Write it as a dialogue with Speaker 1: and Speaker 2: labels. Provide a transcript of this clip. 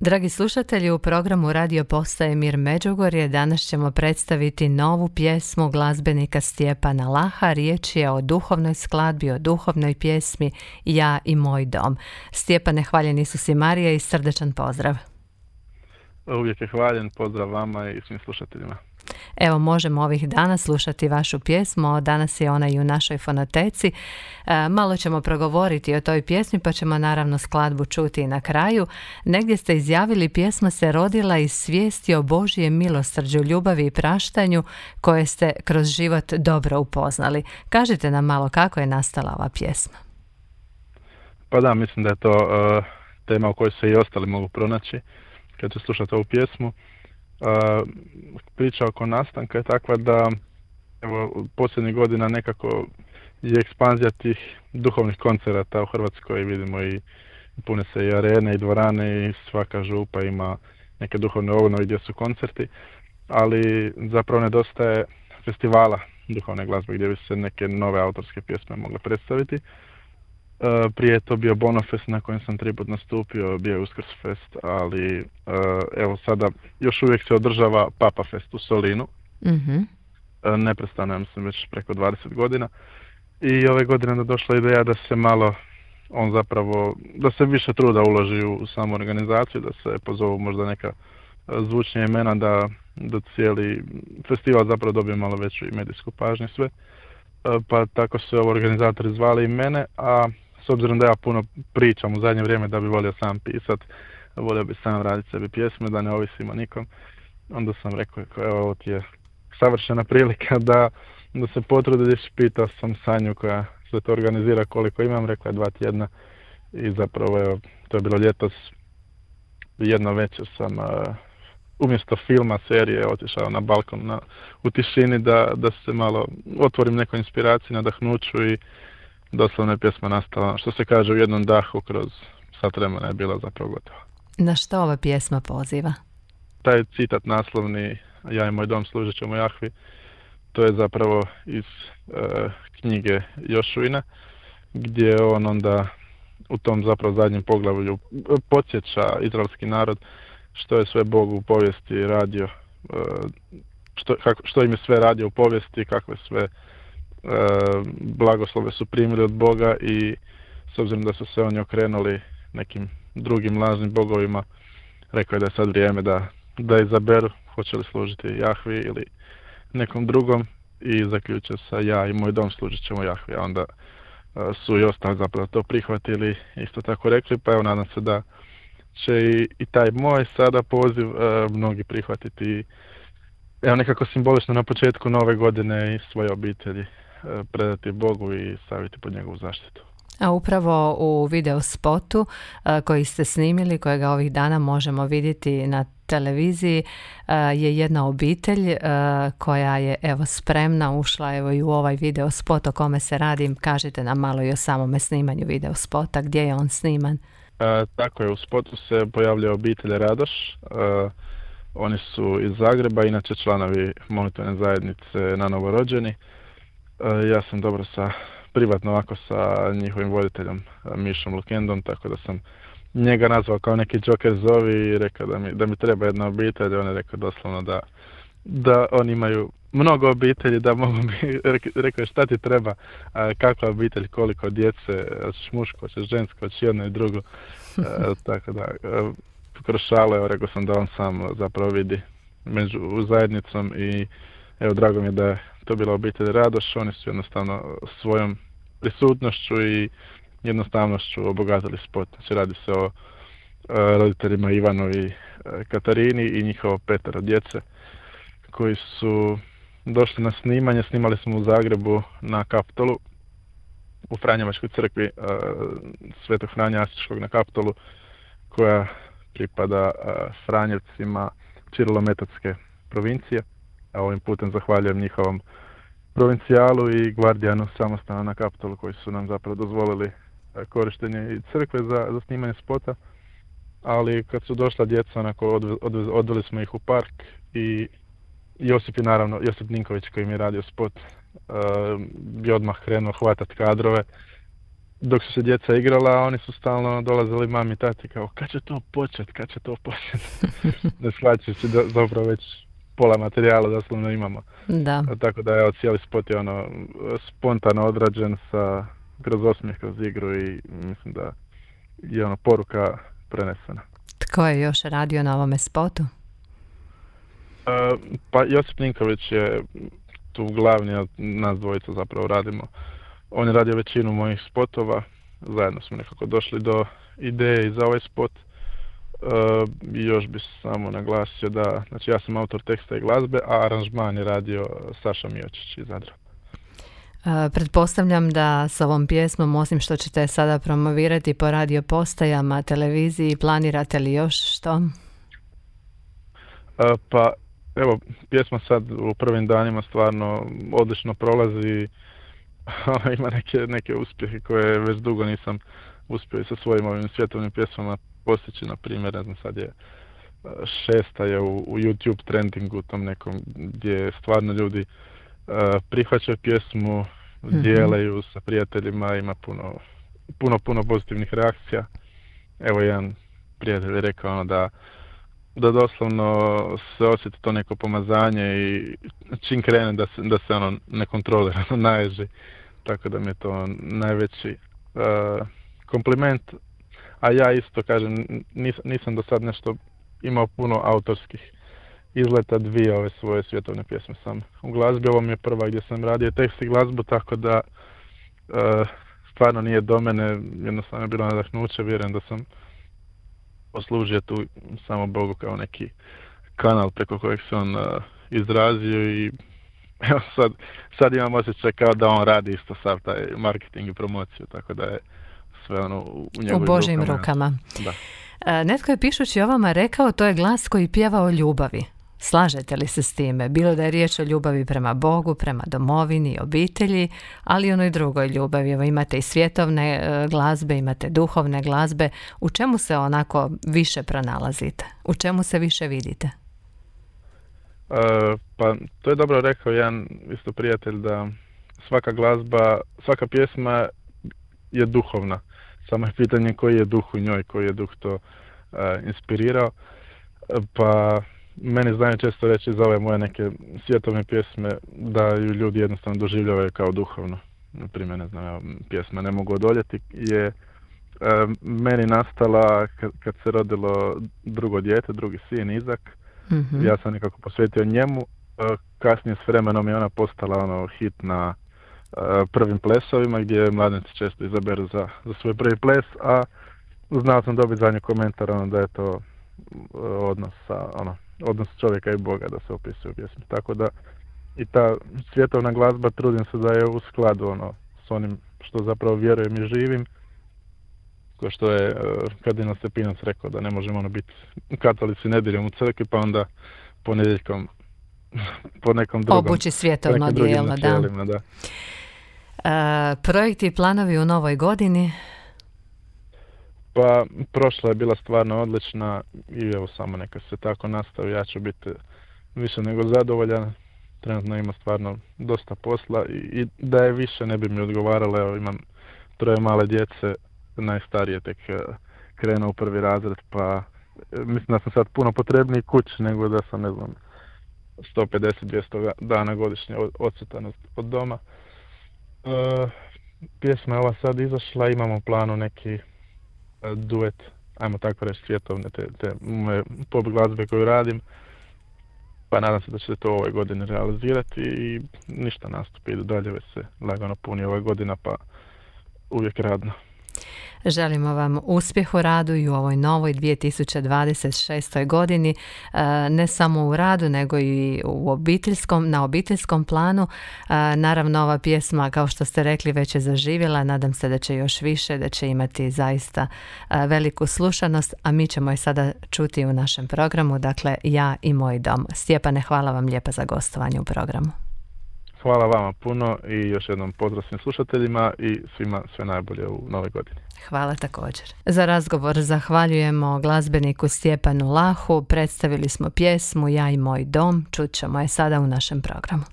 Speaker 1: Dragi slušatelji, u programu Radio Postaje Mir Međugorje danas ćemo predstaviti novu pjesmu glazbenika Stjepana Laha. Riječ je o duhovnoj skladbi, o duhovnoj pjesmi Ja i moj dom. Stjepane, hvaljen Isus i Marija i srdečan pozdrav.
Speaker 2: Uvijek je hvaljen, pozdrav vama i svim slušateljima.
Speaker 1: Evo, možemo ovih dana slušati vašu pjesmu, danas je ona i u našoj fonoteci. Malo ćemo progovoriti o toj pjesmi, pa ćemo naravno skladbu čuti i na kraju. Negdje ste izjavili, pjesma se rodila iz svijesti o Božjem milosrđu, ljubavi i praštanju koje ste kroz život dobro upoznali. Kažite nam malo kako je nastala ova pjesma.
Speaker 2: Pa da, mislim da je to tema o kojoj se i ostali mogu pronaći kad će slušati ovu pjesmu. Priča oko nastanka je takva da evo, posljednjih godina nekako je ekspanzija tih duhovnih koncerata u Hrvatskoj. Vidimo i pune se i arene i dvorane i svaka župa ima neke duhovne obnove gdje su koncerti, ali zapravo nedostaje festivala duhovne glazbe gdje bi se neke nove autorske pjesme mogle predstaviti. Prije je to bio Bonofest na kojem sam 3 put nastupio, bio je Uskrsfest, ali evo sada još uvijek se održava Papa Fest u Solinu.
Speaker 1: Mm-hmm.
Speaker 2: Neprestano, ja mislim, već preko 20 godina. I ove godine je došla ideja da se malo, da se više truda uloži u samu organizaciju, da se pozovu možda neka zvučnija imena, da cijeli festival zapravo dobije malo veću i medijsku pažnju sve. Pa tako su organizatori zvali i mene, a s obzirom da ja puno pričam u zadnje vrijeme da bi volio sam pisat, volio bi sam raditi sebi pjesme, da ne ovisim o nikom, onda sam rekao, evo ovo ti je savršena prilika da se potrudiš. Pitao sam Sanju koja sve to organizira koliko imam, rekla je 2 tjedna i zapravo evo, to je bilo ljetos, jedno večer sam umjesto filma, serije, otišao na balkon u tišini da se malo otvorim nekoj inspiraciji, nadahnuću i doslovno je pjesma nastala, što se kaže, u jednom dahu kroz sat vremena je bila zapravo gotova.
Speaker 1: Na što ova pjesma poziva?
Speaker 2: Taj citat naslovni, Ja i moj dom služit ćemo Jahvi, to je zapravo iz knjige Jošuina, gdje on onda u tom zapravo zadnjem poglavlju podsjeća izraelski narod što je sve Bog u povijesti radio, što im je sve radio u povijesti, kakve sve blagoslove su primili od Boga i s obzirom da su se oni okrenuli nekim drugim lažnim bogovima, rekao je da je sad vrijeme da izaberu hoće li služiti Jahvi ili nekom drugom i zaključio sa Ja i moj dom služit ćemo Jahvi, a onda su i ostali zapravo to prihvatili, isto tako rekli, pa evo nadam se da će i taj moj sada poziv mnogi prihvatiti. Evo nekako simbolično na početku nove godine i svoje obitelji predati Bogu i staviti pod njegovu zaštitu.
Speaker 1: A upravo u video spotu koji ste snimili, kojega ovih dana možemo vidjeti na televiziji, je jedna obitelj koja je evo spremna, ušla evo i u ovaj video spot. O kome se radi? Kažite nam malo i o samome snimanju video spota, gdje je on sniman?
Speaker 2: Tako je, u spotu se pojavlja obitelj Radoš. Oni su iz Zagreba, inače članovi molitvene zajednice na novorođeni. Ja sam dobro privatno ovako sa njihovim voditeljem Mišom Lukendom, tako da sam njega nazvao kao neki Joker zovi i rekao da mi treba jedna obitelj. On je rekao doslovno da oni imaju mnogo obitelji, da mogu mi, rekao je šta ti treba, kakva obitelj, koliko djece, hoćeš muško, hoćeš žensko, hoćeš jedno i drugo. Tako da, kroz šale, rekao sam da on sam zapravo vidi među zajednicom i evo, drago mi je da je to bila obitelj Radoš. Oni su jednostavno svojom prisutnošću i jednostavnošću obogatili spot. Znači radi se o roditeljima Ivanu i Katarini i njihovo 5 djece koji su došli na snimanje. Snimali smo u Zagrebu na Kaptolu, u Franjevačkoj crkvi Svetog Franje Asiškog na Kaptolu, koja pripada Franjevcima Čirilometodske provincije. A ovim putem zahvaljujem njihovom provincijalu i gvardijanu samostana na Kaptolu koji su nam zapravo dozvolili korištenje i crkve za snimanje spota. Ali kad su došla djeca, onako odveli smo ih u park i Josip Ninković koji mi je radio spot je odmah krenuo hvatati kadrove dok su se djeca igrala, oni su stalno dolazili mami i tati kao kad će to početi. Ne shvaćajući da zapravo već pola materijala doslovno imamo.
Speaker 1: Da.
Speaker 2: Tako da je cijeli spot je spontano odrađen kroz osmijeh, kroz igru i mislim da je poruka prenesena.
Speaker 1: Tko je još radio na ovome spotu?
Speaker 2: Pa Josip Ninković je tu glavni, a nas dvojica zapravo radimo. On je radio većinu mojih spotova, zajedno smo nekako došli do ideje i za ovaj spot. Još bi samo naglasio da, znači ja sam autor teksta i glazbe, a aranžman je radio Saša Miočić iz Zadra.
Speaker 1: Pretpostavljam da s ovom pjesmom, osim što ćete sada promovirati po radio postajama, televiziji, planirate li još što?
Speaker 2: Pa evo, pjesma sad u prvim danima stvarno odlično prolazi. Ima neke uspjehe koje već dugo nisam uspio i sa svojim ovim svjetovnim pjesmama postići. Na primjer, ne znam, sad je 6. je u YouTube trendingu tom nekom gdje stvarno ljudi prihvaćaju pjesmu, dijeleju sa prijateljima, ima puno pozitivnih reakcija. Evo, jedan prijatelj je rekao da doslovno se osjeti to neko pomazanje i čim krene da se nekontrolirano naježi. Tako da mi je to najveći kompliment. A ja isto kažem, nisam do sad nešto imao puno autorskih izleta, 2 ove svoje svjetovne pjesme sam u glazbi. Ovo mi je prva gdje sam radio tekst i glazbu, tako da stvarno nije do mene, jednostavno je bilo nadahnuće, vjerujem da sam poslužio tu samo Bogu kao neki kanal preko kojeg se on izrazio i evo sad imam osjećaj kao da on radi isto sav taj marketing i promociju, tako da je sve u njegovim
Speaker 1: u Božjim rukama.
Speaker 2: Da.
Speaker 1: Netko je pišući o vama rekao, to je glas koji pjeva o ljubavi. Slažete li se s time? Bilo da je riječ o ljubavi prema Bogu, prema domovini, obitelji, ali i onoj drugoj ljubavi. Evo, imate i svjetovne glazbe, imate duhovne glazbe. U čemu se onako više pronalazite? U čemu se više vidite?
Speaker 2: Pa to je dobro rekao jedan isto prijatelj, da svaka pjesma je duhovna. Samo je pitanje koji je duh u njoj, koji je duh to inspirirao. Pa meni znaju često reći za ove moje neke svjetovne pjesme da ju ljudi jednostavno doživljavaju kao duhovno. Naprimjer, ne znam, pjesma Ne mogu odoljeti je meni nastala kad se rodilo drugo dijete, drugi sin Izak. Mm-hmm. Ja sam nekako posvetio njemu. Kasnije s vremenom je ona postala hit na prvim plesovima gdje mladenci često izaberu za svoj prvi ples, a znao sam dobiti za nju komentar da je to odnos čovjeka i Boga da se opisuje u pjesmi. Tako da i ta svjetovna glazba trudim se da je u skladu s onim što zapravo vjerujem i živim. Ko što je kardinal Stepinac rekao da ne možemo biti katolici nedjeljom u crkvi, pa onda ponedjeljkom po nekom drugom.
Speaker 1: Obući svjetovno dijelo,
Speaker 2: da.
Speaker 1: Projekti i planovi u novoj godini?
Speaker 2: Pa prošla je bila stvarno odlična i evo samo neka se tako nastavi, ja ću biti više nego zadovoljan. Trenutno ima stvarno dosta posla i da je više ne bi mi odgovaralo. Evo, imam 3 male djece, najstarije tek krenuo u 1. razred, pa mislim da sam sad puno potrebniji kući nego da sam, ne znam, 150-200 dana godišnje odsutan od doma. Pjesma je ova sad izašla, imamo u planu neki duet, ajmo tako reći, svjetovne te moje pop glazbe koju radim, pa nadam se da će se to ove godine realizirati i ništa, nastupi idu dalje, već se lagano puni ova godina, pa uvijek radno.
Speaker 1: Želimo vam uspjeh u radu i u ovoj novoj 2026. godini, ne samo u radu nego i na obiteljskom planu. Naravno, ova pjesma, kao što ste rekli, već je zaživjela, nadam se da će još više, da će imati zaista veliku slušanost, a mi ćemo je sada čuti u našem programu, dakle Ja i moj dom. Stjepane, hvala vam lijepa za gostovanje u programu.
Speaker 2: Hvala vama puno i još jednom pozdrav svim slušateljima i svima sve najbolje u nove godine.
Speaker 1: Hvala također. Za razgovor zahvaljujemo glazbeniku Stjepanu Lahu. Predstavili smo pjesmu Ja i moj dom. Čut ćemo je sada u našem programu.